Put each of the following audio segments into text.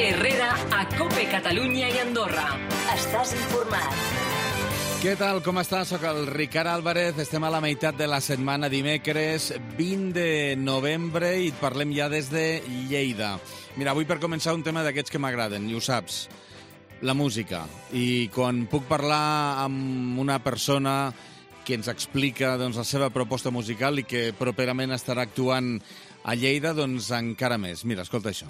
Herrera a COPE Catalunya i Andorra. Estàs informat. Què tal, com estàs? Soc el Ricard Álvarez. Estem a la meitat de la setmana, dimecres 20 de novembre, i et parlem ja des de Lleida. Mira, avui per començar un tema d'aquests que m'agraden, i ho saps, la música. I quan puc parlar amb una persona que ens explica doncs, la seva proposta musical i que properament estarà actuant a Lleida, doncs encara més. Mira, escolta això.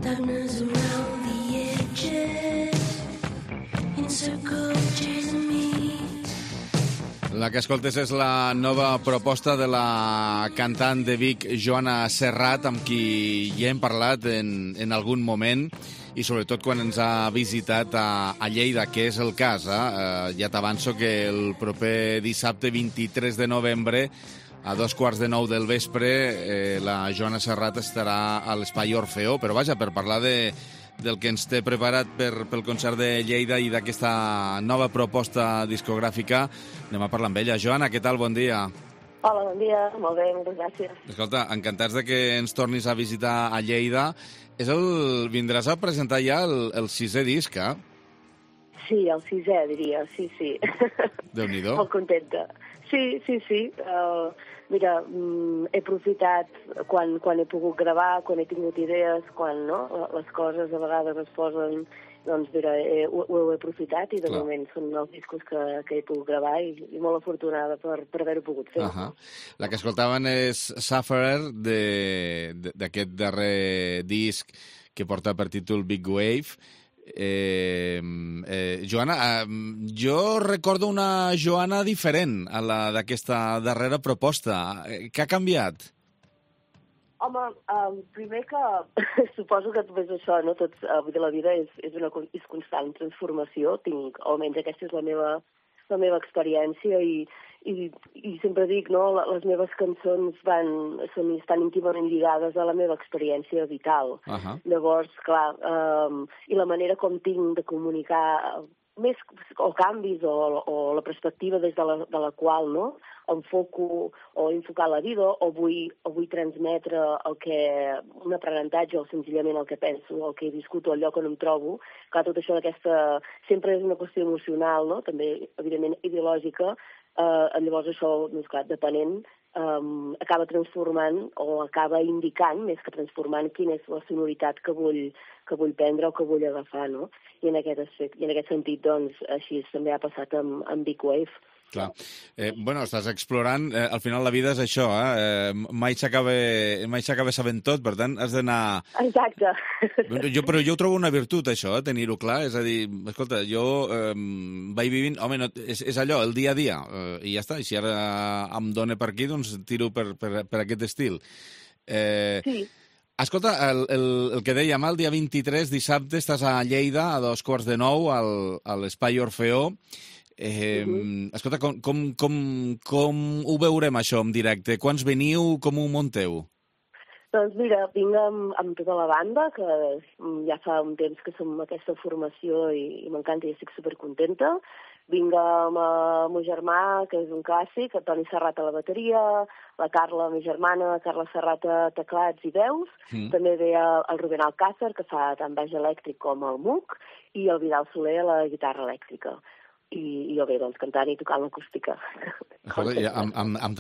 Darkness around the edges, in circle chasing me. La que escoltes és la nova proposta de la cantant de Vic, Joana Serrat, amb qui ja hem parlat en algun moment, i sobretot quan ens ha visitat a Lleida, que és el cas. Ja t'avanço que el proper dissabte 23 de novembre, a 2:15 del vespre, la Joana Serrat estarà a l'Espai Orfeó, però vaja, per parlar del que ens té preparat pel concert de Lleida i d'aquesta nova proposta discogràfica, anem a parlar amb ella. Joana, què tal? Bon dia. Hola, bon dia. Molt bé, moltes gràcies. Escolta, encantats de que ens tornis a visitar a Lleida. Vindràs a presentar ja el sisè disc, eh? Sí, el sisè, diria, sí. Déu-n'hi-do. Molt contenta. Sí. Mira, he aprofitat quan he pogut gravar, quan he tingut idees, quan les coses a vegades es posen... Doncs mira, ho he aprofitat i de moment són els discos que he pogut gravar i molt afortunada per haver-ho pogut fer. La que escoltaven és Sufferer, d'aquest darrer disc que porta per títol Big Wave. Joana, jo recordo una Joana diferent a la d'aquesta darrera proposta. Què ha canviat? Home, primer que suposo que és això, no? La vida és constant transformació, almenys aquesta és la meva experiència i sempre dic, no? Les meves cançons estan íntimament lligades a la meva experiència vital. Llavors, clar, i la manera com tinc de comunicar més o canvis o la perspectiva des de la qual enfoco o enfocar la vida o vull transmetre un aprenentatge o senzillament el que penso, el que he viscut o el lloc on em trobo. Clar, tot això sempre és una qüestió emocional, no? També, evidentment, ideològica. Llavors això, clar, depenent, acaba transformant o acaba indicant, més que transformant, quina és la sonoritat que vull prendre o que vull agafar, no? I en aquest sentit, doncs, així també ha passat amb Big Wave. Clar. Estàs explorant. Al final la vida és això, mai s'acaba sabent tot, per tant, has d'anar... Exacte. Però jo ho trobo una virtut, això, tenir-ho clar. És a dir, escolta, jo vaig vivint... Home, no, és allò, el dia a dia, i ja està. I si ara em dóna per aquí, doncs tiro per aquest estil. Sí. Escolta, el que dèiem, el dia 23, dissabte, estàs a Lleida, a 8:45, a l'Espai Orfeó. Escolta, com ho veurem això en directe? Quants veniu? Com ho munteu? Doncs mira, vinc amb tota la banda, que ja fa un temps que som aquesta formació i m'encanta i estic supercontenta. Vinc amb el meu germà, que és un clàssic, el Toni Serrat a la bateria, la Carla, la meva germana, Carla Serrat a teclats i veus. També ve el Rubén Alcázar, que fa tant baix elèctric com el MUC, i el Vidal Soler a la guitarra elèctrica. I jo bé, doncs, cantant i tocant l'acústica. Escolta, amb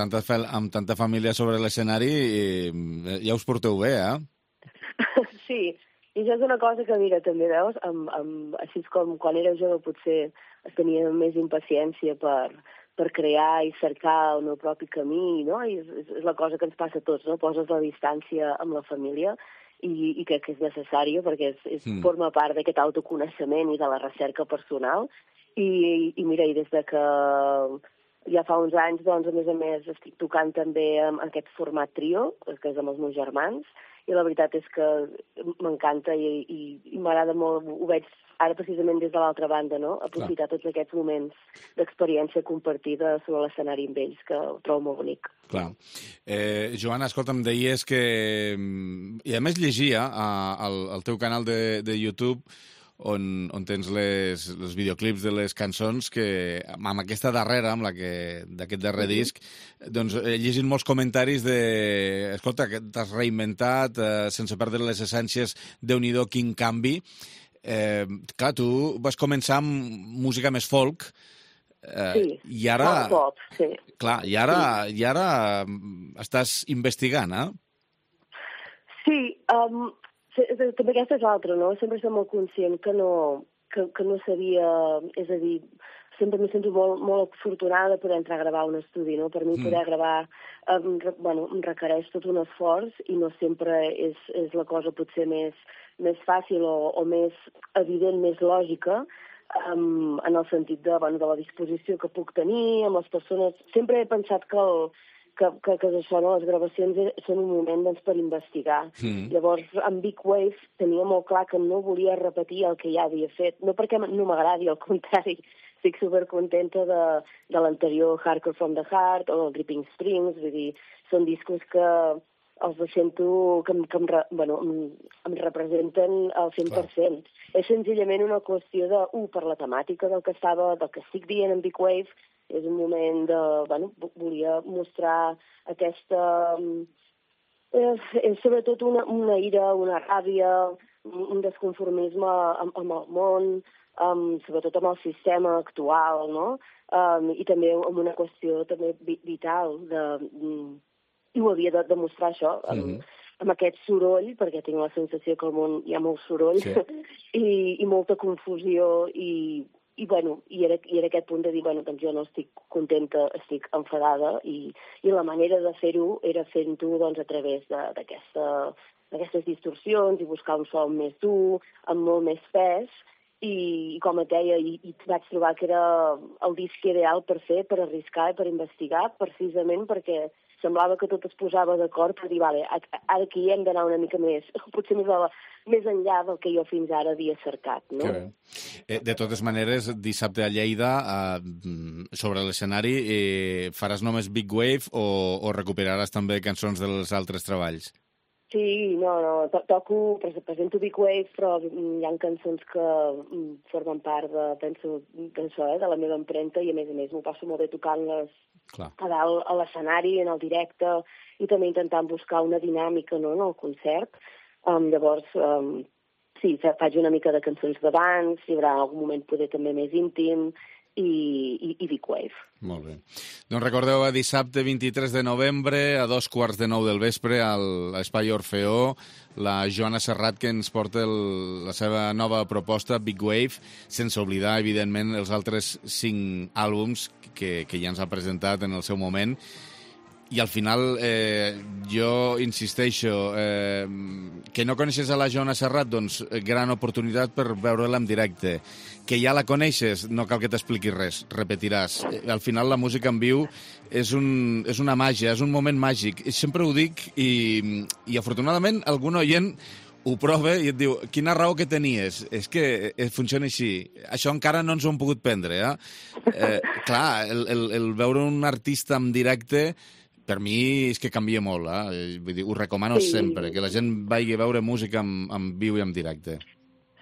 tanta família sobre l'escenari ja us porteu bé, Sí, i això és una cosa que, mira, també veus, així com quan era jove potser es tenia més impaciència per crear i cercar el meu propi camí, no? I és la cosa que ens passa a tots, no? Poses la distància amb la família i crec que és necessària perquè forma part d'aquest autoconeixement i de la recerca personal. I mira, i des de que ja fa uns anys, doncs, a més, estic tocant també en aquest format trio, que és amb els meus germans, i la veritat és que m'encanta i m'agrada molt, ho veig ara precisament des de l'altra banda, no? Aprofitar tots aquests moments d'experiència compartida sobre l'escenari amb ells, que ho trobo molt bonic. Clar. Joana, escolta, em deies que... I a més llegia al teu canal de YouTube on tens els videoclips de les cançons, que amb aquesta darrera, d'aquest darrer disc, doncs he llegit molts comentaris de escolta, que t'has reinventat sense perdre les essències, Déu-n'hi-do, quin canvi. Clar, tu vas començar amb música més folk, sí, i ara... pop, sí. Clar, i ara estàs investigant, Sí, també aquesta és l'altra, no? Sempre soc molt conscient que no sabia... És a dir, sempre m'he sentit molt afortunada de poder entrar a gravar un estudi, no? Per mi poder gravar em requereix tot un esforç i no sempre és la cosa potser més fàcil o més evident, més lògica, en el sentit de la disposició que puc tenir amb les persones. Sempre he pensat que això, no? Les gravacions són un moment per investigar. Llavors, amb Big Wave tenia molt clar que no volia repetir el que ja havia fet. No perquè no m'agradi, al contrari. Estic supercontenta de l'anterior Hardcore from the Heart o el Dripping Springs. Vull dir, són discos que els sento que em representen al 100%. Clar. És senzillament una qüestió per la temàtica del que estic dient en Big Wave. És un moment volia mostrar aquesta... És sobretot una ira, una ràbia, un desconformisme amb el món, sobretot amb el sistema actual, no? I també amb una qüestió també vital i ho havia de demostrar això, amb aquest soroll, perquè tinc la sensació que al món hi ha molt soroll, sí. i molta confusió, i era aquest punt de dir, doncs jo no estic contenta, estic enfadada, i la manera de fer-ho era fent-ho a través d'aquestes distorsions i buscar un so més dur, amb molt més pes, i com et deia, i vaig trobar que era el disc ideal per fer, per arriscar i per investigar, precisament perquè semblava que tot es posava d'acord per dir, vale, ara aquí hem d'anar una mica més, potser més enllà del que jo fins ara havia cercat, no? De totes maneres, dissabte a Lleida, sobre l'escenari, faràs només Big Wave o recuperaràs també cançons dels altres treballs? Sí, no, presento Big Wave, però hi ha cançons que formen part de la meva empremta i a més m'ho passo molt bé tocant-les a dalt a l'escenari, en el directe, i també intentant buscar una dinàmica, no, en el concert. Llavors, sí, faig una mica de cançons d'abans, hi haurà algun moment poder també més íntim, i Big Wave. Molt bé. Doncs recordeu, dissabte 23 de novembre, a 2:15 del vespre, a l'Espai Orfeó, la Joana Serrat, que ens porta la seva nova proposta, Big Wave, sense oblidar, evidentment, els altres 5 àlbums que ja ens ha presentat en el seu moment. I al final, jo insisteixo, que no coneixes a la Joana Serrat, doncs gran oportunitat per veure-la en directe. Que ja la coneixes, no cal que t'expliquis res, repetiràs. Al final la música en viu és una màgia, és un moment màgic. Sempre ho dic i afortunadament algun oient ho prova i et diu, quina raó que tenies? És que funciona així. Això encara no ens ho hem pogut prendre, clar, el veure un artista en directe, per mi és que canvia molt, vull dir, ho recomano sempre, que la gent vagi a veure música en viu i en directe.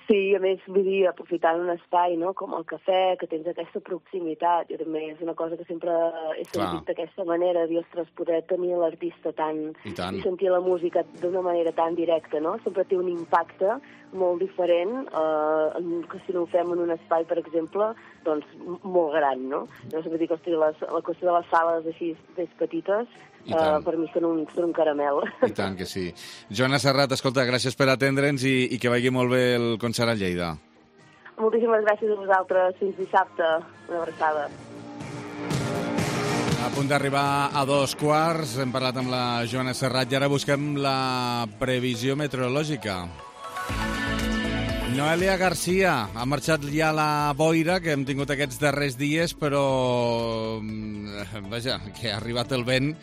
Sí, a més, vull dir, aprofitant un espai, no?, com el cafè, que tens aquesta proximitat, i també és una cosa que sempre he sentit d'aquesta manera, dir, ostres, poder tenir l'artista i sentir la música d'una manera tan directa, no?, sempre té un impacte molt diferent que si no ho fem en un espai, per exemple, doncs molt gran, no? Llavors, vull dir que la qüestió de les sales així més petites, per mi són un caramel. I tant que sí. Joana Serrat, escolta, gràcies per atendre'ns i que vagi molt bé el concert a Lleida. Moltíssimes gràcies a vosaltres. Fins dissabte. Una abraçada. A punt d'arribar a 2:15, hem parlat amb la Joana Serrat i ara busquem la previsió meteorològica. Noelia Garcia, ha marxat ja la boira que hem tingut aquests darrers dies, però vaja, que ha arribat el vent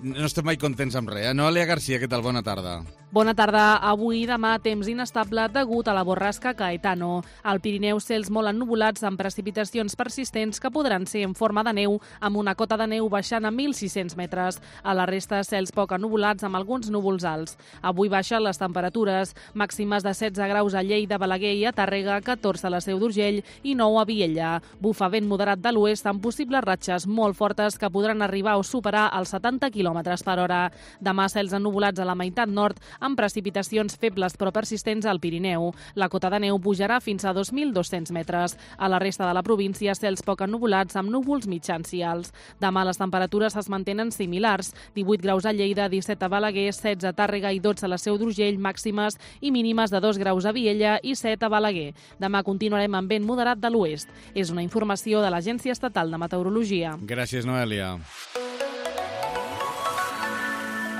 no estem mai contents amb res. Noelia Garcia, què tal? Bona tarda. Bona tarda. Avui i demà temps inestable degut a la borrasca Caetano. Al Pirineu, cels molt ennuvolats amb precipitacions persistents que podran ser en forma de neu, amb una cota de neu baixant a 1.600 metres. A la resta, cels poc ennuvolats amb alguns núvols alts. Avui baixen les temperatures, màximes de 16 graus a Lleida, Balaguer i a Tàrrega, 14 a la Seu d'Urgell i 9 a Vielha. Bufa vent moderat de l'oest amb possibles ratxes molt fortes que podran arribar o superar els 70 km per hora. Demà, cels ennuvolats a la meitat nord, amb precipitacions febles però persistents al Pirineu. La cota de neu pujarà fins a 2.200 metres. A la resta de la província, cels poc ennuvolats amb núvols mitjans i alts. Demà les temperatures es mantenen similars. 18 graus a Lleida, 17 a Balaguer, 16 a Tàrrega i 12 a la Seu d'Urgell, màximes i mínimes de 2 graus a Vielha i 7 a Balaguer. Demà continuarem amb vent moderat de l'oest. És una informació de l'Agència Estatal de Meteorologia. Gràcies, Noelia.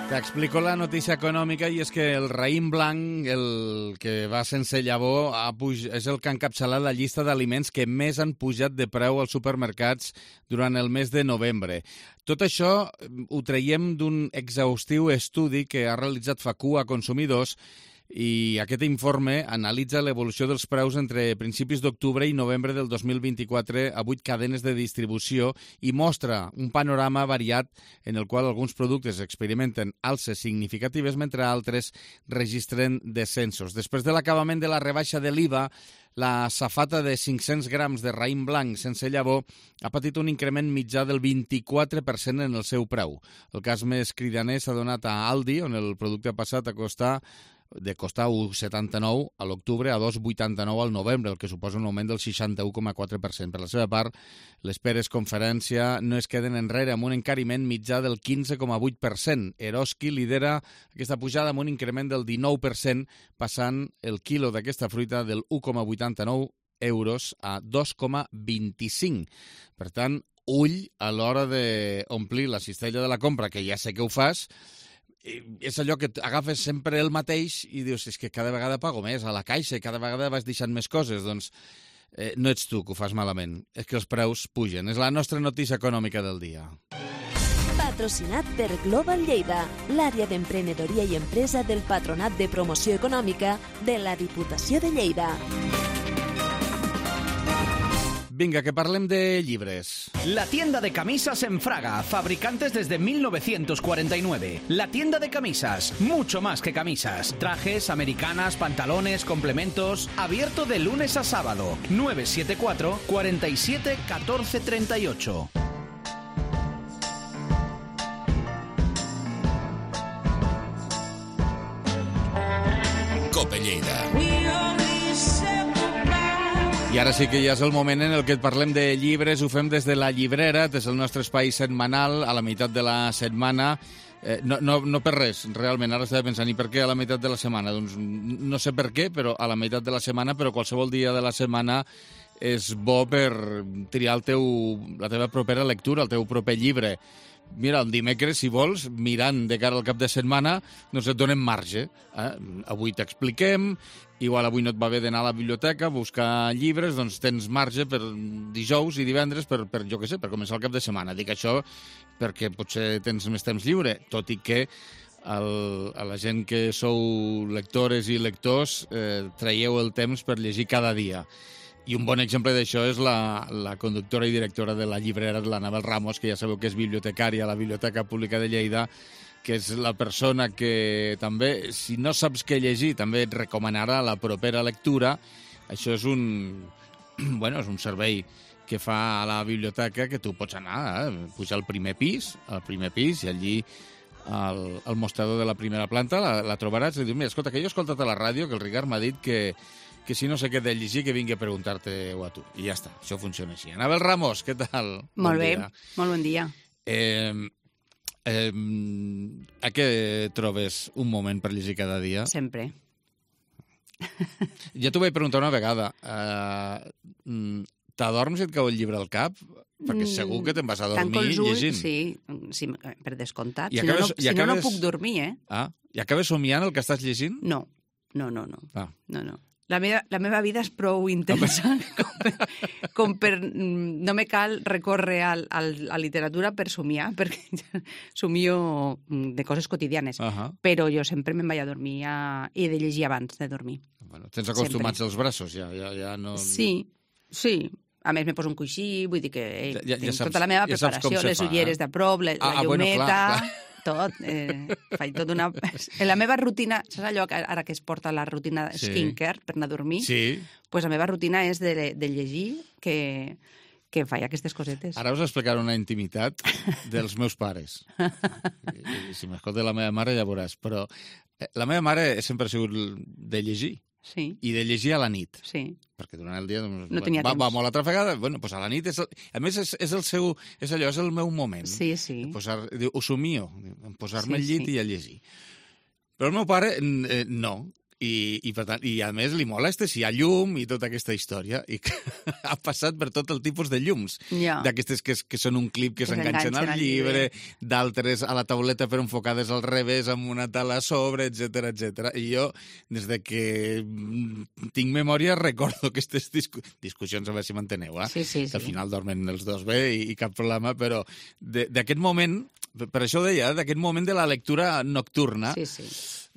T'explico la notícia econòmica i és que el raïm blanc, el que va sense llavor, és el que ha encapçalat la llista d'aliments que més han pujat de preu als supermercats durant el mes de novembre. Tot això ho traiem d'un exhaustiu estudi que ha realitzat FACU a consumidors i aquest informe analitza l'evolució dels preus entre principis d'octubre i novembre del 2024 a 8 cadenes de distribució i mostra un panorama variat en el qual alguns productes experimenten alces significatives mentre altres registren descensos. Després de l'acabament de la rebaixa de l'IVA, la safata de 500 grams de raïm blanc sense llavor ha patit un increment mitjà del 24% en el seu preu. El cas més cridaner s'ha donat a Aldi, on el producte ha passat a costar 1,79 a l'octubre a 2,89 al novembre, el que suposa un augment del 61,4%. Per la seva part, les Peres Conferència no es queden enrere amb un encariment mitjà del 15,8%. Eroski lidera aquesta pujada amb un increment del 19%, passant el quilo d'aquesta fruita del 1,89 euros a 2,25. Per tant, ull a l'hora d'omplir la cistella de la compra, que ja sé que ho fas. És allò que agafes sempre el mateix i dius, és que cada vegada pago més a la caixa i cada vegada vas deixant més coses. Doncs no ets tu que ho fas malament, és que els preus pugen. És la nostra notícia econòmica del dia. Patrocinat per Global Lleida, l'àrea d'emprenedoria i empresa del Patronat de Promoció Econòmica de la Diputació de Lleida. Vinga, que parlem de llibres. La tienda de camisas en Fraga, fabricantes desde 1949. La tienda de camisas, mucho más que camisas. Trajes, americanas, pantalones, complementos. Abierto de lunes a sábado. 974 47 14 38. Cope Lleida. I ara sí que ja és el moment en el que et parlem de llibres. Ho fem des de la llibrera, des del nostre espai setmanal, a la meitat de la setmana. No per res, realment. Ara estava pensant, i per què a la meitat de la setmana? Doncs no sé per què, però a la meitat de la setmana, però qualsevol dia de la setmana és bo per triar la teva propera lectura, el teu proper llibre. Mira, el dimecres, si vols, mirant de cara al cap de setmana, doncs et donem marge. Avui t'expliquem, igual avui no et va bé d'anar a la biblioteca a buscar llibres, doncs tens marge per dijous i divendres per jo què sé, per començar el cap de setmana. Dic això perquè potser tens més temps lliure, tot i que a la gent que sou lectores i lectors traieu el temps per llegir cada dia. I un bon exemple d'això és la conductora i directora de la llibrera, l'Anabel Ramos, que ja sabeu que és bibliotecària a la Biblioteca Pública de Lleida, que és la persona que també, si no saps què llegir, també et recomanarà la propera lectura. Això és és un servei que fa a la biblioteca, que tu pots anar, pujar al primer pis i allí al mostrador de la primera planta la trobaràs i dius, mira, escolta, que jo he escoltat a la ràdio que el Ricard m'ha dit que si no sé què he de llegir, que vingui a preguntar-te-ho a tu. I ja està, això funciona així. Anabel Ramos, què tal? Molt bé, molt bon dia. A què trobes un moment per llegir cada dia? Sempre. Ja t'ho vaig preguntar una vegada. T'adorms i et cau el llibre al cap? Perquè segur que te'n vas a dormir llegint. Sí, per descomptat. I si no puc dormir, eh? I acabes somiant el que estàs llegint? No. Ah. No. La meva vida és prou intensa com per no me cal recórrer a la literatura per somiar, perquè somio de coses quotidianes. Però jo sempre me'n vaig a dormir i he de llegir abans de dormir. Bueno, tens acostumats els braços, ja no... Sí. A més, me poso un coixí, vull dir que tinc tota la meva preparació, les ulleres de prop, la llumeta... Tot, faig tot una... En la meva rutina, saps allò que ara que es porta la rutina skincare per anar a dormir? Sí. Pues la meva rutina és de llegir que faig aquestes cosetes. Ara us explicaré una intimitat dels meus pares. I si m'escolta la meva mare ja veuràs, però la meva mare sempre ha sigut de llegir. Sí. I de llegir a la nit. Sí. Perquè durant el dia no tenia temps. Va molt atrafegada. Bueno, pues a la nit, a més, és el meu moment. Sí. Ho somio, posar-me al llit i a llegir. Però el meu pare, no. I per tant, i a més li molesta si hi ha llum i tota aquesta història, i ha passat per tot el tipus de llums, d'aquestes que són un clip que s'enganxen al llibre, d'altres a la tauleta però enfocades al revés amb una tala a sobre, etc. I jo, des de que tinc memòria, recordo aquestes discussions, a veure si m'enteneu, Sí. Que al final dormen els dos bé i cap problema, però d'aquest moment, per això ho deia, d'aquest moment de la lectura nocturna. Sí.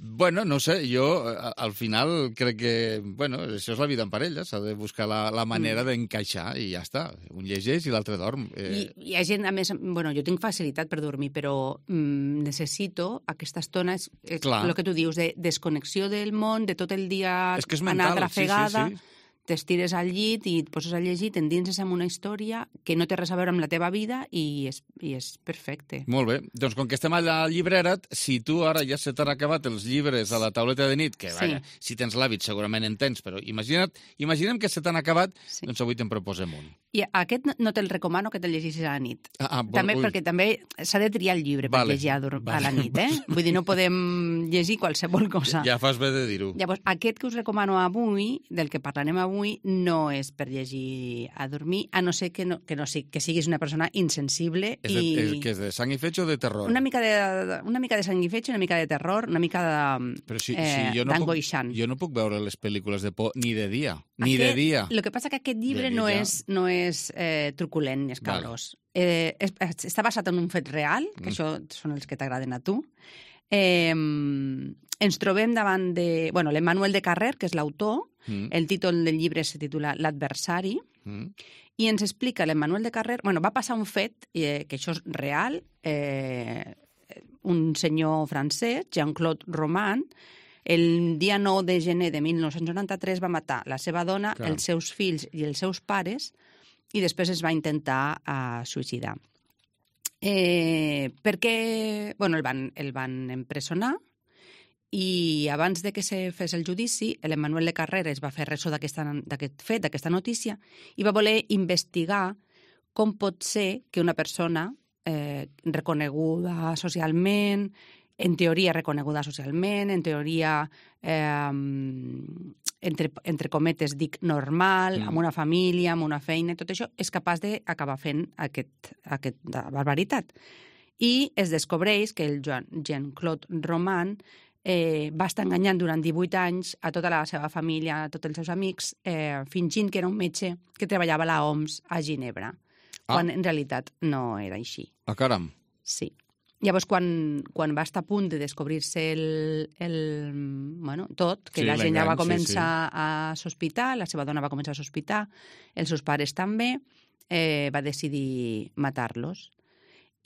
Bueno, no sé, jo al final crec que, bueno, això és la vida en parella, s'ha de buscar la manera d'encaixar i ja està. Un llegeix i l'altre dorm. I hi ha gent, a més, bueno, jo tinc facilitat per dormir, però necessito aquesta estona, el que tu dius, de desconnexió del món, de tot el dia anar atrafegada. Sí. T'estires al llit i et poses a llegir, t'endinses en una història que no té res a veure amb la teva vida i és perfecte. Molt bé. Doncs com que estem a la llibrera, si tu ara ja se t'han acabat els llibres a la tauleta de nit, que vaja, si tens l'hàbit segurament en tens, però imaginem que se t'han acabat, doncs avui te'n proposem un. I aquest no te'l recomano que te'l llegeixis a la nit. Perquè també s'ha de triar el llibre per llegir a la nit, Vull dir, no podem llegir qualsevol cosa. Ja fas bé de dir-ho. Llavors, aquest que us recomano avui, del que parlarem avui, no és per llegir a dormir, a no ser que siguis una persona insensible. Que és de sang i fetge o de terror? Una mica de sang i fetge, una mica de terror, una mica d'angoixant. Jo no puc veure les pel·lícules de por ni de dia. De dia. El que passa que aquest llibre no és truculent ni escabrós. Està basat en un fet real, que això són els que t'agraden a tu. Ens trobem davant de... Bueno, l'Emmanuel de Carrer, que és l'autor, el títol del llibre se titula L'adversari, i ens explica l'Emmanuel de Carrer... Bueno, va passar un fet, que això és real, un senyor francès, Jean-Claude Roman, el dia 9 de gener de 1993 va matar la seva dona, els seus fills i els seus pares, i després es va intentar suïcidar. Perquè el van empresonar i abans de que se fes el judici, l'Emmanuel de Carrer es va fer ressò d'aquest fet, d'aquesta notícia, i va voler investigar com pot ser que una persona reconeguda socialment, en teoria reconeguda socialment, en teoria, entre cometes, dic normal, amb una família, amb una feina, tot això, és capaç d'acabar fent aquesta barbaritat. I es descobreix que el Jean-Claude Roman va estar enganyant durant 18 anys a tota la seva família, a tots els seus amics, fingint que era un metge que treballava a l'OMS a Ginebra, quan en realitat no era així. Ah, caram. Sí. Llavors, quan va estar a punt de descobrir-se tot, que la gent ja va començar a sospitar, la seva dona va començar a sospitar, els seus pares també, va decidir matar-los.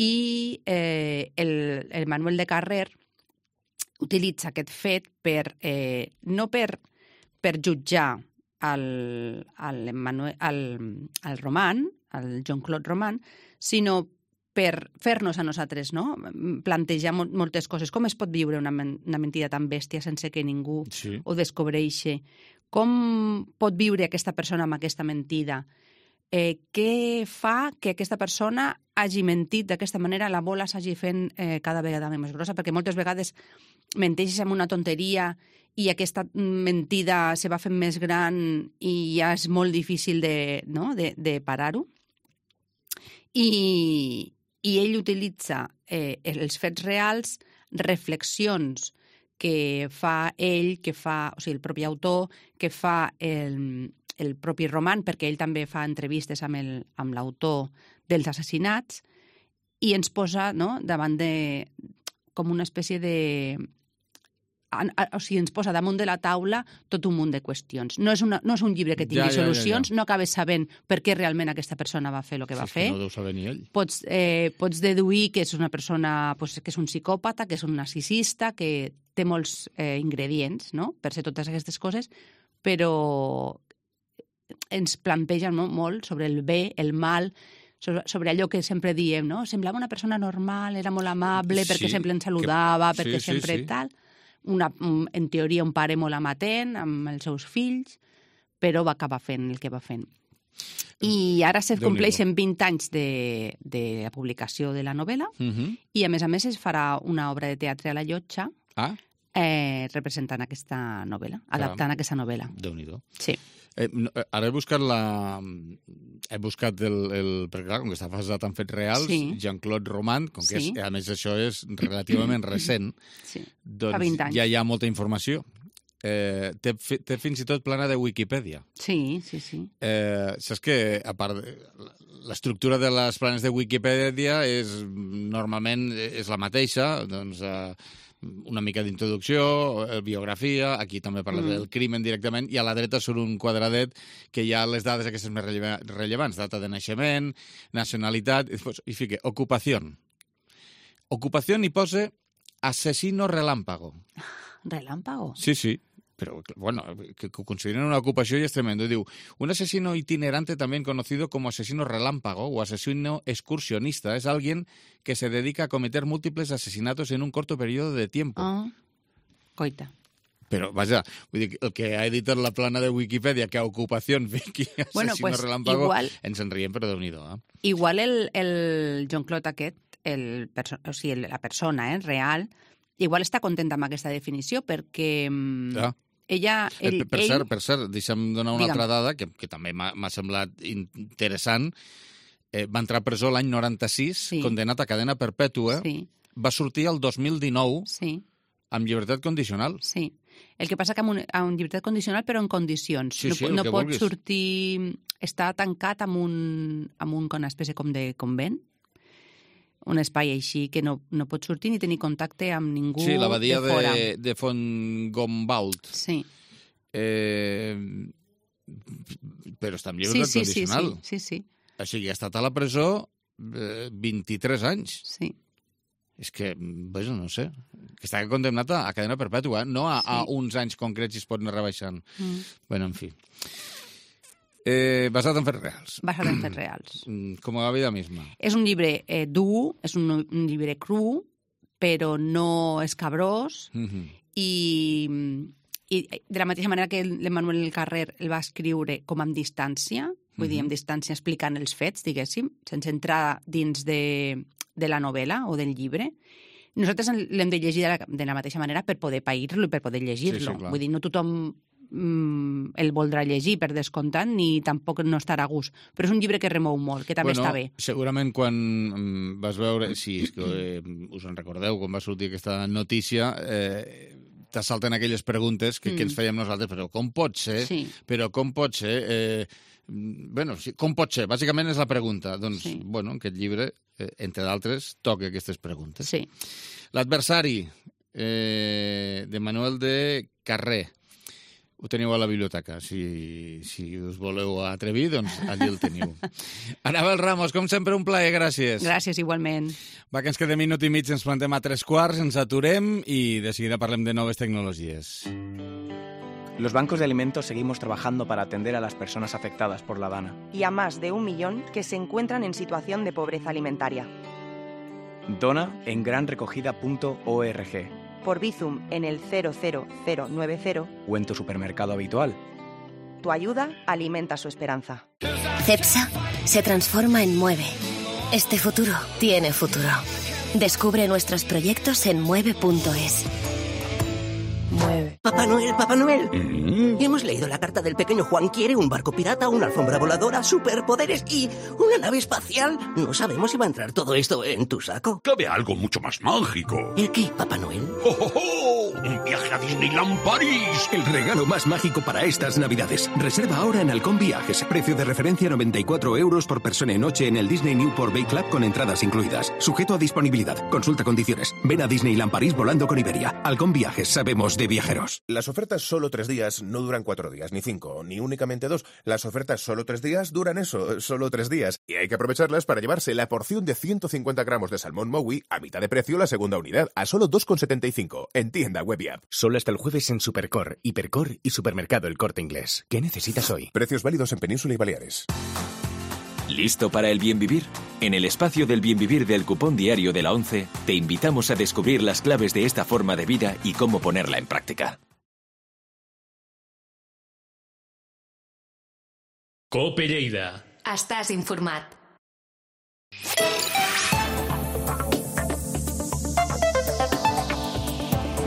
I el Manuel de Carrer utilitza aquest fet no per jutjar al Roman, al Jean-Claude Roman, sinó per fer-nos a nosaltres, no? Plantejar moltes coses. Com es pot viure una mentida tan bèstia sense que ningú ho descobreixi? Com pot viure aquesta persona amb aquesta mentida? Què fa que aquesta persona hagi mentit d'aquesta manera, la bola s'hagi fent cada vegada més grossa? Perquè moltes vegades menteixes amb una tonteria i aquesta mentida se va fent més gran i ja és molt difícil de parar-ho. I ell utilitza els fets reals, reflexions que fa ell, o sigui, el propi autor, que fa el propi roman, perquè ell també fa entrevistes amb l'autor dels assassinats, i ens posa, no?, davant de... com una espècie de... O sigui, ens posa damunt de la taula tot un munt de qüestions. No és un llibre que tingui solucions, no acabes sabent per què realment aquesta persona va fer el que va fer. No deu saber ni ell. Pots deduir que és una persona, que és un psicòpata, que és un narcisista, que té molts ingredients, no?, per ser totes aquestes coses, però ens planteja molt sobre el bé, el mal, sobre allò que sempre diem, no? Semblava una persona normal, era molt amable, perquè sempre ens saludava, perquè sempre tal... en teoria un pare molt amatent amb els seus fills, però va acabar fent el que va fent. I ara se compleixen 20 anys de la publicació de la novel·la i, a més, es farà una obra de teatre a la Llotja representant aquesta novel·la, adaptant aquesta novel·la. Déu-n'hi-do. Sí. Ara he buscat perquè clar, com que està basat en fets reals, Jean-Claude Roman, com que a més això és relativament recent, doncs ja hi ha molta informació. Té fins i tot plana de Wikipedia. Sí. Saps que, a part, l'estructura de les planes de Wikipedia normalment és la mateixa, doncs... una mica d'introducció, biografia, aquí també parla del crimen directament, i a la dreta surt un quadradet que hi ha les dades aquestes més rellevants, data de naixement, nacionalitat, i fica ocupació. Ocupació i posa asesino relámpago. ¿Relámpago? Sí. Pero, bueno, que consideren una ocupació y es tremendo. Diu, un asesino itinerante también conocido como asesino relámpago o asesino excursionista es alguien que se dedica a cometer múltiples asesinatos en un corto periodo de tiempo. Coita. Però, vaja, vull dir, el que ha editat la plana de Wikipedia, que a ocupació fiqui asesino relámpago, ens en riem, però Déu-n'hi-do. Igual el Jean-Claude aquest, la persona real, igual està content amb aquesta definició, perquè... Per cert, deixa'm donar una altra dada que també m'ha semblat interessant. Va entrar a presó l'any 96, condenat a cadena perpètua. Va sortir el 2019 amb llibertat condicional. Sí. El que passa que amb llibertat condicional, però en condicions. No pot sortir... Està tancat amb una espècie com de convent, un espai així que no pot sortir ni tenir contacte amb ningú de fora. Sí, l'abadia de Font-Gombault. Sí. Però està en llibertat condicional. Sí. O sigui, ha estat a la presó 23 anys. Sí. És que, no sé, que està condemnat a cadena perpètua, no a uns anys concrets i es pot anar rebaixant. Bueno, en fi. Basat en fets reals. Basat en fets reals. Com a la vida misma. És un llibre dur, és un llibre cru, però no escabrós, i de la mateixa manera que l'Emmanuel Carrer el va escriure com amb distància, vull dir, amb distància explicant els fets, diguéssim, sense entrar dins de la novel·la o del llibre. Nosaltres l'hem de llegir de la mateixa manera per poder pair-lo i per poder llegir-lo. Vull dir, no tothom el voldrà llegir per descomptat ni tampoc no estarà a gust. Però és un llibre que remou molt, que també està bé. Segurament quan vas veure, si és que us en recordeu, quan va sortir aquesta notícia, t'assalten aquelles preguntes que ens fèiem nosaltres, però com pot ser? Però com pot ser? Com pot ser? Bàsicament és la pregunta. Doncs, aquest llibre, entre d'altres, toca aquestes preguntes. Sí. L'adversari, de Manuel de Carrer. Ho teniu a la biblioteca. Si us voleu atrevir, doncs allí el teniu. Anabel Ramos, com sempre, un plaer, gràcies. Gràcies, igualment. Va, que ens quedem minut i mig, ens plantem a 3/4, ens aturem i de seguida parlem de noves tecnologies. Los bancos de alimentos seguimos trabajando para atender a las personas afectadas por la DANA. Y a más de 1 millón que se encuentran en situación de pobreza alimentaria. Dona en granrecogida.org. Por Bizum en el 00090 o en tu supermercado habitual. Tu ayuda alimenta su esperanza. CEPSA se transforma en Mueve. Este futuro tiene futuro. Descubre nuestros proyectos en mueve.es. Mueve. Papá Noel. Hemos leído la carta del pequeño Juan. Quiere un barco pirata, una alfombra voladora, superpoderes y una nave espacial. No sabemos si va a entrar todo esto en tu saco. Cabe algo mucho más mágico. ¿El qué, Papá Noel? ¡Oh! ¡Un viaje a Disneyland París! El regalo más mágico para estas Navidades. Reserva ahora en Halcón Viajes. Precio de referencia 94 € por persona y noche en el Disney Newport Bay Club con entradas incluidas. Sujeto a disponibilidad. Consulta condiciones. Ven a Disneyland París volando con Iberia. Halcón Viajes. Sabemos de viajeros. Las ofertas solo 3 días no duran 4 días, ni 5, ni únicamente 2. Las ofertas solo 3 días duran eso, solo 3 días. Y hay que aprovecharlas para llevarse la porción de 150 gramos de salmón Maui a mitad de precio la segunda unidad, a solo 2,75 en tienda web y app. Solo hasta el jueves en Supercor, Hipercor y Supermercado El Corte Inglés. ¿Qué necesitas hoy? Precios válidos en Península y Baleares. ¿Listo para el bien vivir? En el espacio del bien vivir del cupón diario de la 11, te invitamos a descubrir las claves de esta forma de vida y cómo ponerla en práctica. COPE Lleida. Estàs informat.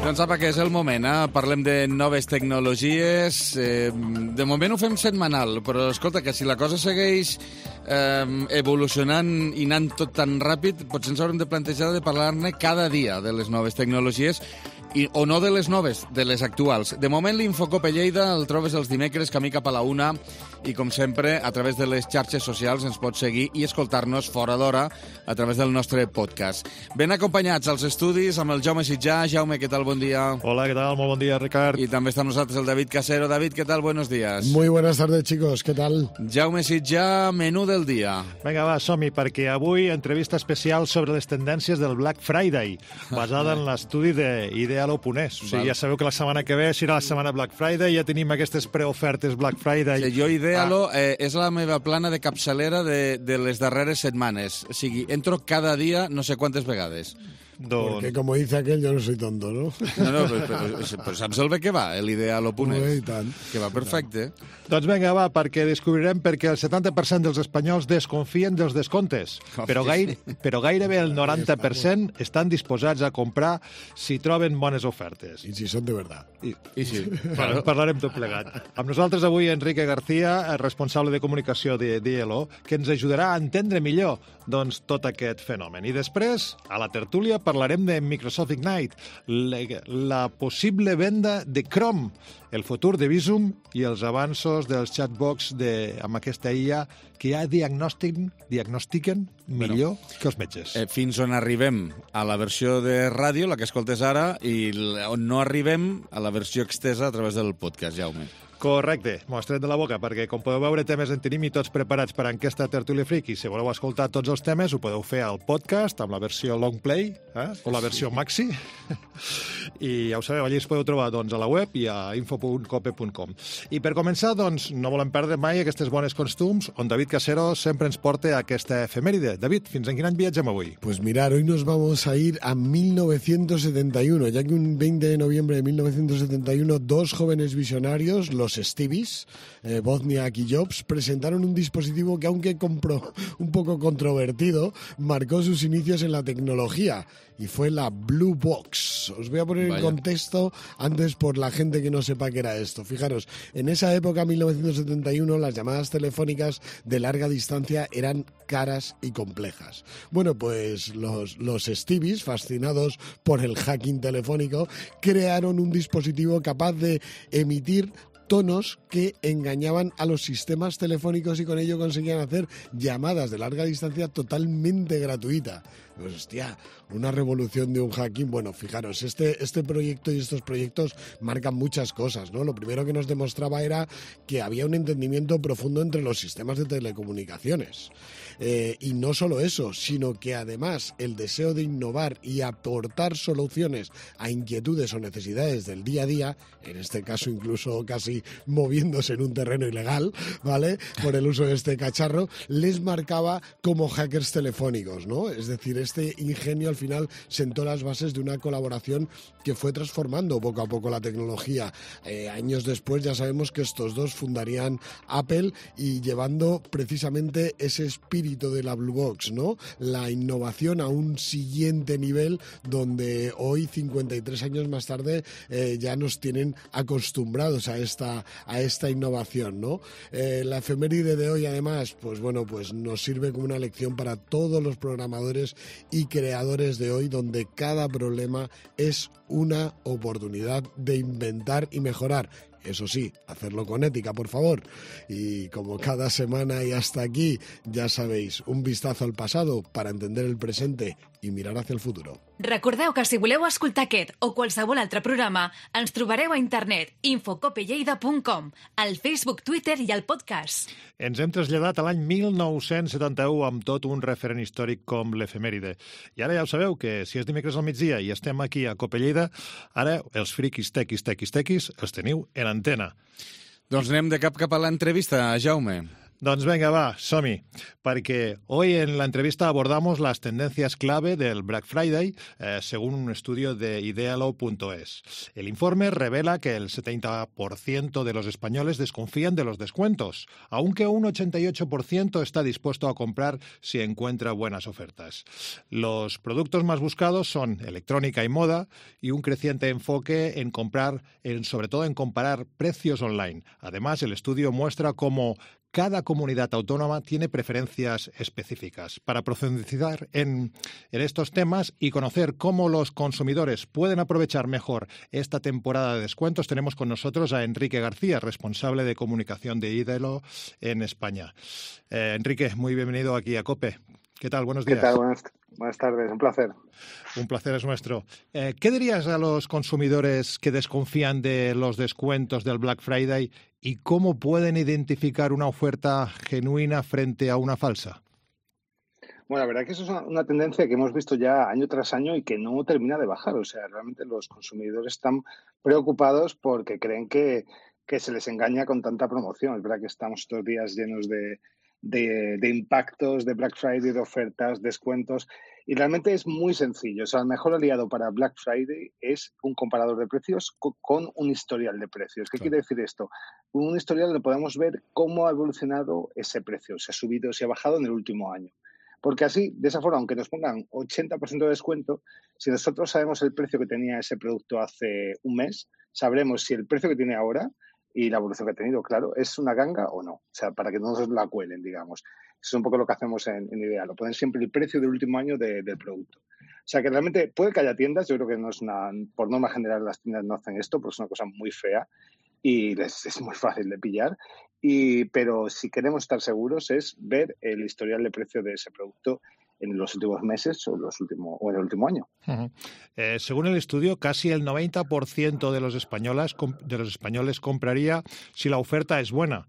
Doncs apa, que és el moment, Parlem de noves tecnologies. De moment ho fem setmanal, però escolta, que si la cosa segueix evolucionant i anant tot tan ràpid, potser ens haurem de plantejar de parlar-ne cada dia de les noves tecnologies, o no de les noves, de les actuals. De moment, l'Infocope Lleida el trobes els dimecres camí cap a la 1 i, com sempre, a través de les xarxes socials ens pots seguir i escoltar-nos fora d'hora a través del nostre podcast. Ben acompanyats als estudis amb el Jaume Sitjà. Jaume, què tal? Bon dia. Hola, ¿qué tal? Muy buen día, Ricard. Y también está con nosotros el David Casero. David, ¿qué tal? Buenos días. Muy buenas tardes, chicos. ¿Qué tal? Jaume Sitjà, menú del dia. Vinga, va, som-hi, perquè avui entrevista especial sobre les tendències del Black Friday, basada en l'estudi d'Idealo.es. O sigui, ja sabeu que la setmana que ve serà la setmana Black Friday, ja tenim aquestes preofertes Black Friday. Sí, jo Idealo és la meva plana de capçalera de les darreres setmanes. O sigui, entro cada dia no sé quantes vegades. Porque como dice aquel, yo no soy tonto, ¿no? No, però saps el bé que va, l'Idealo.es? Que va perfecte. Doncs vinga, va, perquè descobrirem perquè el 70% dels espanyols desconfien dels descomptes, però gairebé el 90% estan disposats a comprar si troben bones ofertes. I si són de verdad. I sí, parlarem tot plegat. Amb nosaltres avui Enrique García, responsable de comunicació d'Idealo, que ens ajudarà a entendre millor tot aquest fenomen. I després, a la tertúlia, parlarem de Microsoft Ignite, la possible venda de Chrome, el futur de Visum i els avanços dels chatbots amb aquesta IA que ja diagnostiquen millor que els metges. Fins on arribem a la versió de ràdio, la que escoltes ara, i on no arribem a la versió extesa a través del podcast, Jaume. Correcte, m'ho has tret de la boca, perquè com podeu veure temes en tenim i tots preparats per a aquesta tertúlia friki. Si voleu escoltar tots els temes ho podeu fer al podcast amb la versió long play o la versió maxi i ja ho sabeu, allà us podeu trobar a la web i a info.cope.com. I per començar, no volem perdre mai aquestes bones costums on David Casero sempre ens porta aquesta efemèride. David, fins en quin any viatgem avui? Pues mirar, hoy nos vamos a ir a 1971, ya que un 20 de noviembre de 1971 dos jóvenes visionarios, los Stevies, Wozniak y Jobs, presentaron un dispositivo que, aunque un poco controvertido, marcó sus inicios en la tecnología, y fue la Blue Box. Os voy a poner en contexto antes por la gente que no sepa qué era esto. Fijaros, en esa época, 1971, las llamadas telefónicas de larga distancia eran caras y complejas. Bueno, pues los Stevies, fascinados por el hacking telefónico, crearon un dispositivo capaz de emitir tonos que engañaban a los sistemas telefónicos y con ello conseguían hacer llamadas de larga distancia totalmente gratuita. Pues hostia, una revolución de un hacking. Bueno, fijaros, este proyecto y estos proyectos marcan muchas cosas, ¿no? Lo primero que nos demostraba era que había un entendimiento profundo entre los sistemas de telecomunicaciones. Y no solo eso, sino que además el deseo de innovar y aportar soluciones a inquietudes o necesidades del día a día, en este caso incluso casi moviéndose en un terreno ilegal, ¿vale?, por el uso de este cacharro, les marcaba como hackers telefónicos, ¿no? Es decir, este ingenio al final sentó las bases de una colaboración que fue transformando poco a poco la tecnología. Años después ya sabemos que estos dos fundarían Apple y llevando precisamente ese espíritu de la Blue Box, ¿no? La innovación a un siguiente nivel donde hoy, 53 años más tarde, ya nos tienen acostumbrados a esta innovación, ¿no? La efeméride de hoy, además, pues bueno, pues nos sirve como una lección para todos los programadores y creadores de hoy, donde cada problema es una oportunidad de inventar y mejorar. Eso sí, hacerlo con ética, por favor. Y como cada semana y hasta aquí, ya sabéis, un vistazo al pasado para entender el presente i mirar hacia el futuro. Recordeu que si voleu escoltar aquest o qualsevol altre programa, ens trobareu a internet infocopelleida.com, al Facebook, Twitter i al podcast. Ens hem traslladat a l'any 1971 amb tot un referent històric com l'efemèride. I ara ja ho sabeu, que si és dimecres al migdia i estem aquí a Cope Lleida, ara els friquis tequis els teniu en antena. Doncs anem de cap a l'entrevista, Jaume. Doncs venga, va, Somi, porque hoy en la entrevista abordamos las tendencias clave del Black Friday según un estudio de idealo.es. El informe revela que el 70% de los españoles desconfían de los descuentos, aunque un 88% está dispuesto a comprar si encuentra buenas ofertas. Los productos más buscados son electrónica y moda y un creciente enfoque en sobre todo en comparar precios online. Además, el estudio muestra cómo cada comunidad autónoma tiene preferencias específicas. Para profundizar en estos temas y conocer cómo los consumidores pueden aprovechar mejor esta temporada de descuentos, tenemos con nosotros a Enrique García, responsable de comunicación de Idealo en España. Enrique, muy bienvenido aquí a COPE. ¿Qué tal? Buenos días. ¿Qué tal? Buenas tardes, un placer. Un placer es nuestro. ¿Qué dirías a los consumidores que desconfían de los descuentos del Black Friday y cómo pueden identificar una oferta genuina frente a una falsa? Bueno, la verdad que eso es una tendencia que hemos visto ya año tras año y que no termina de bajar. O sea, realmente los consumidores están preocupados porque creen que se les engaña con tanta promoción. Es verdad que estamos estos días llenos de impactos, de Black Friday, de ofertas, descuentos, y realmente es muy sencillo. O sea, el mejor aliado para Black Friday es un comparador de precios con un historial de precios. ¿Qué quiere decir esto? Un historial donde podemos ver cómo ha evolucionado ese precio, si ha subido, si ha bajado en el último año. Porque así, de esa forma, aunque nos pongan 80% de descuento, si nosotros sabemos el precio que tenía ese producto hace un mes, sabremos si el precio que tiene ahora y la evolución que ha tenido, claro, ¿es una ganga o no? O sea, para que no nos la cuelen, digamos. Eso es un poco lo que hacemos en Idealo, poner siempre el precio del último año del producto. O sea, que realmente puede que haya tiendas, yo creo que no es por norma general las tiendas no hacen esto, porque es una cosa muy fea y es muy fácil de pillar. Pero si queremos estar seguros es ver el historial de precio de ese producto en los últimos meses o en el último año. Uh-huh. Según el estudio, casi el 90% de los españoles compraría si la oferta es buena.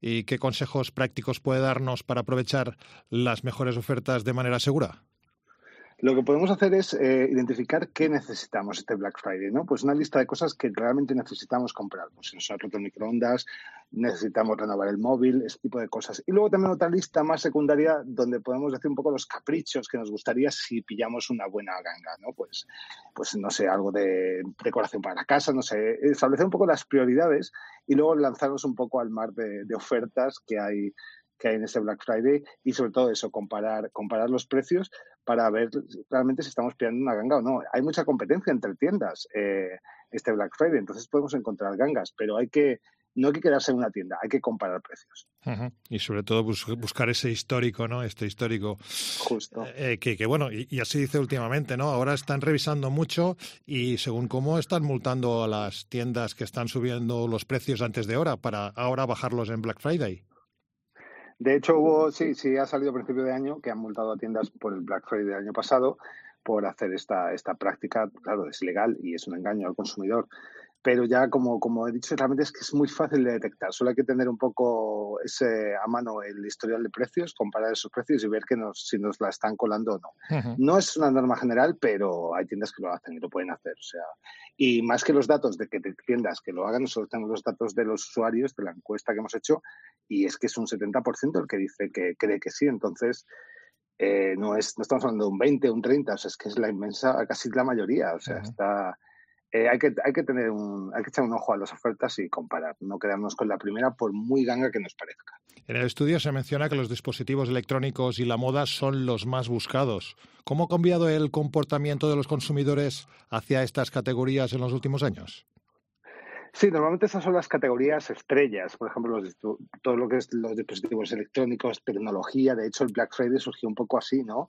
¿Y qué consejos prácticos puede darnos para aprovechar las mejores ofertas de manera segura? Lo que podemos hacer es identificar qué necesitamos este Black Friday, ¿no? Pues una lista de cosas que realmente necesitamos comprar. Pues si nos ha roto el microondas, necesitamos renovar el móvil, ese tipo de cosas. Y luego también otra lista más secundaria donde podemos decir un poco los caprichos que nos gustaría si pillamos una buena ganga, ¿no? Pues no sé, algo de decoración para la casa, no sé, establecer un poco las prioridades y luego lanzarnos un poco al mar de ofertas que hay en ese Black Friday y sobre todo eso, comparar los precios para ver realmente si estamos pillando una ganga o no. Hay mucha competencia entre tiendas este Black Friday, entonces podemos encontrar gangas, pero no hay que quedarse en una tienda, hay que comparar precios. Uh-huh. Y sobre todo buscar ese histórico, ¿no? Este histórico. Justo. Que bueno, y así dice últimamente, ¿no? Ahora están revisando mucho y según cómo están multando a las tiendas que están subiendo los precios antes de hora para ahora bajarlos en Black Friday. De hecho, sí ha salido a principio de año que han multado a tiendas por el Black Friday del año pasado por hacer esta práctica. Claro, es ilegal y es un engaño al consumidor. Pero ya, como he dicho, realmente es que es muy fácil de detectar. Solo hay que tener un poco a mano el historial de precios, comparar esos precios y ver si nos la están colando o no. Uh-huh. No es una norma general, pero hay tiendas que lo hacen y lo pueden hacer. O sea, y más que los datos de tiendas que lo hagan, nosotros tenemos los datos de los usuarios de la encuesta que hemos hecho y es que es un 70% el que dice que cree que sí. Entonces, no estamos hablando de un 20, un 30, o sea, es que es la inmensa, casi la mayoría. O sea, uh-huh. Hay que echar un ojo a las ofertas y comparar, no quedarnos con la primera por muy ganga que nos parezca. En el estudio se menciona que los dispositivos electrónicos y la moda son los más buscados. ¿Cómo ha cambiado el comportamiento de los consumidores hacia estas categorías en los últimos años? Sí, normalmente esas son las categorías estrellas. Por ejemplo, todo lo que es los dispositivos electrónicos, tecnología. De hecho, el Black Friday surgió un poco así, ¿no?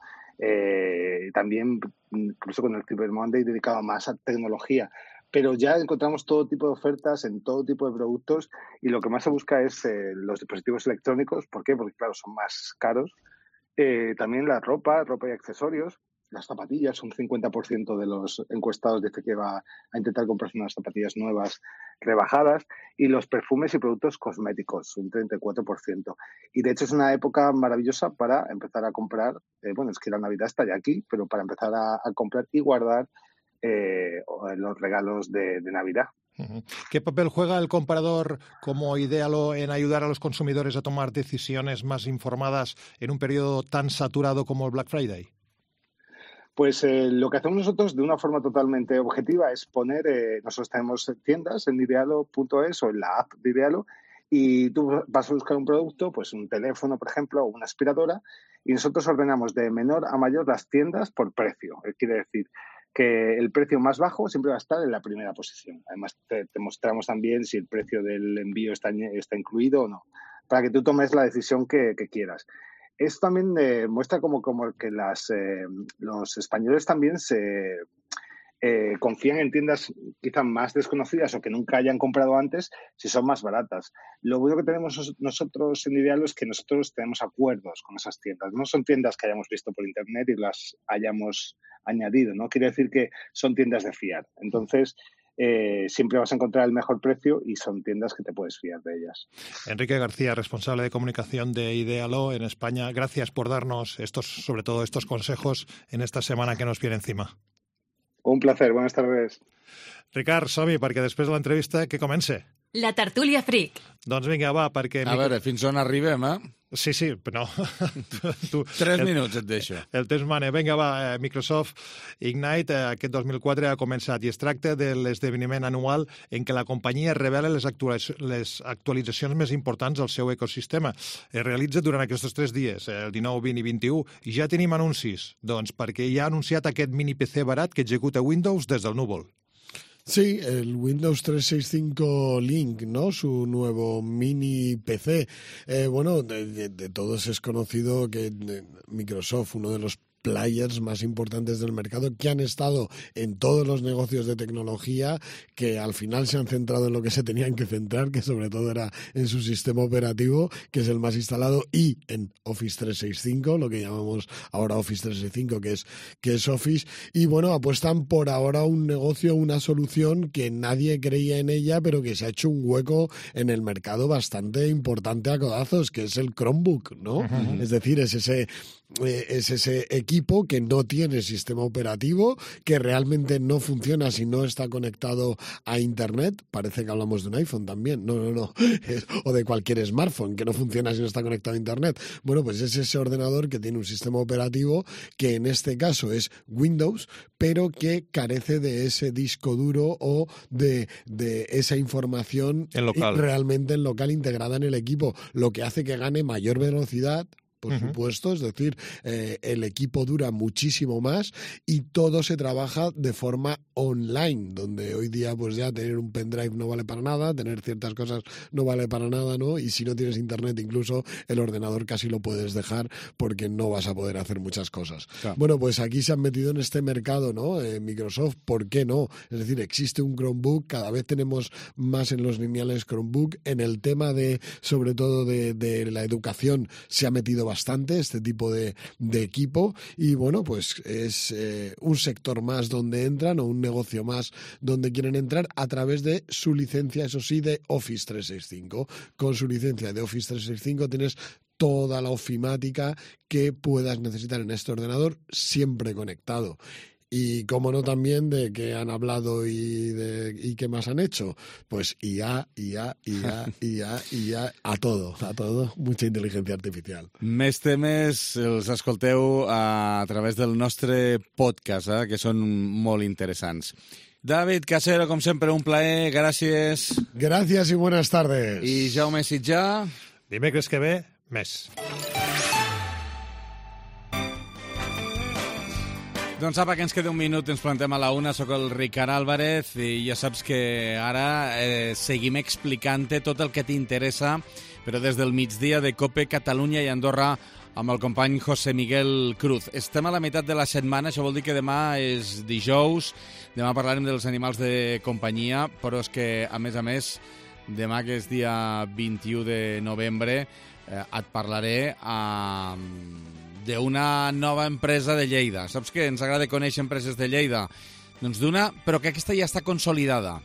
También, incluso con el Cyber Monday, dedicado más a tecnología. Pero ya encontramos todo tipo de ofertas en todo tipo de productos y lo que más se busca es los dispositivos electrónicos. ¿Por qué? Porque, claro, son más caros. También la ropa y accesorios. Las zapatillas, un 50% de los encuestados dice que va a intentar comprarse unas zapatillas nuevas rebajadas, y los perfumes y productos cosméticos, un 34%. Y de hecho es una época maravillosa para empezar a comprar, es que la Navidad está ya aquí, pero para empezar a comprar y guardar los regalos de Navidad. ¿Qué papel juega el comparador como Idealo en ayudar a los consumidores a tomar decisiones más informadas en un periodo tan saturado como el Black Friday? Pues lo que hacemos nosotros de una forma totalmente objetiva es poner, nosotros tenemos tiendas en idealo.es o en la app de Idealo, y tú vas a buscar un producto, pues un teléfono, por ejemplo, o una aspiradora, y nosotros ordenamos de menor a mayor las tiendas por precio. Quiere decir que el precio más bajo siempre va a estar en la primera posición. Además, te mostramos también si el precio del envío está incluido o no, para que tú tomes la decisión que quieras. Esto también muestra como que los españoles también se confían en tiendas quizás más desconocidas o que nunca hayan comprado antes si son más baratas. Lo bueno que tenemos nosotros en Idealo es que nosotros tenemos acuerdos con esas tiendas. No son tiendas que hayamos visto por internet y las hayamos añadido, ¿no? Quiere decir que son tiendas de fiar. Entonces, siempre vas a encontrar el mejor precio y son tiendas que te puedes fiar de ellas. Enrique García, responsable de comunicación de Idealo en España, gracias por darnos sobre todo estos consejos en esta semana que nos viene encima. Un placer, buenas tardes. Ricard, som-hi, perquè després de l'entrevista que comence. La tertúlia fric. Doncs vinga, va, perquè... A veure, fins on arribem, Sí, però no. 3 minuts et deixo. El temps mana. Vinga, va, Microsoft Ignite aquest 2004 ha començat i es tracta de l'esdeveniment anual en què la companyia revela les actualitzacions més importants del seu ecosistema. Es realitza durant aquests 3 dies, el 19, 20 i 21, i ja tenim anuncis, doncs perquè ja ha anunciat aquest mini PC barat que executa Windows des del núvol. Sí, el Windows 365 Link, ¿no? Su nuevo mini PC. De todos es conocido que Microsoft, uno de los players más importantes del mercado, que han estado en todos los negocios de tecnología, que al final se han centrado en lo que se tenían que centrar, que sobre todo era en su sistema operativo, que es el más instalado, y en Office 365, lo que llamamos ahora Office 365, que es Office, y apuestan por ahora un negocio, una solución que nadie creía en ella, pero que se ha hecho un hueco en el mercado bastante importante a codazos, que es el Chromebook, ¿no? Uh-huh. Es decir, es ese equipo que no tiene sistema operativo, que realmente no funciona si no está conectado a Internet. Parece que hablamos de un iPhone también. No. O de cualquier smartphone que no funciona si no está conectado a Internet. Pues es ese ordenador que tiene un sistema operativo que en este caso es Windows, pero que carece de ese disco duro o de esa información realmente en local integrada en el equipo, lo que hace que gane mayor velocidad, por supuesto, es decir, el equipo dura muchísimo más y todo se trabaja de forma online, donde hoy día pues ya tener un pendrive no vale para nada, tener ciertas cosas no vale para nada, ¿no? Y si no tienes internet, incluso el ordenador casi lo puedes dejar porque no vas a poder hacer muchas cosas. Claro. Pues aquí se han metido en este mercado, ¿no? Microsoft, ¿por qué no? Es decir, existe un Chromebook, cada vez tenemos más en los lineales Chromebook. En el tema sobre todo de la educación, se ha metido bastante este tipo de equipo y pues es un sector más donde entran o un negocio más donde quieren entrar a través de su licencia, eso sí, de Office 365. Con su licencia de Office 365 tienes toda la ofimática que puedas necesitar en este ordenador siempre conectado. Y cómo no también de que han hablado y qué más han hecho. Pues IA, a todo, mucha inteligencia artificial. Més temes els escolteu a través del nostre podcast, que són molt interessants. David Casero, com sempre, un plaer, gràcies. Gràcies i buenas tardes. I Jaume Sitjà. Dimecres que ve, més. Doncs apa, que ens queda un minut, ens plantem a la una, sóc el Ricard Álvarez i ja saps que ara seguim explicant-te tot el que t'interessa, però des del migdia de COPE Catalunya i Andorra amb el company José Miguel Cruz. Estem a la meitat de la setmana, això vol dir que demà és dijous, demà parlarem dels animals de companyia, però és que, a més, demà que és dia 21 de novembre, et parlaré d'una nova empresa de Lleida. Saps que ens agrada conèixer empreses de Lleida? Doncs d'una, però que aquesta ja està consolidada.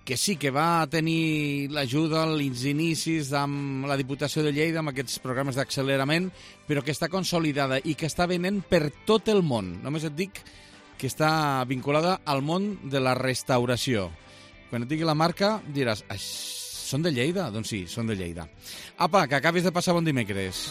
Que sí, que va tenir l'ajuda als inicis amb la Diputació de Lleida, amb aquests programes d'accelerament, però que està consolidada i que està venent per tot el món. Només et dic que està vinculada al món de la restauració. Quan et digui la marca diràs, són de Lleida? Doncs sí, són de Lleida. Apa, que acabis de passar bon dimecres.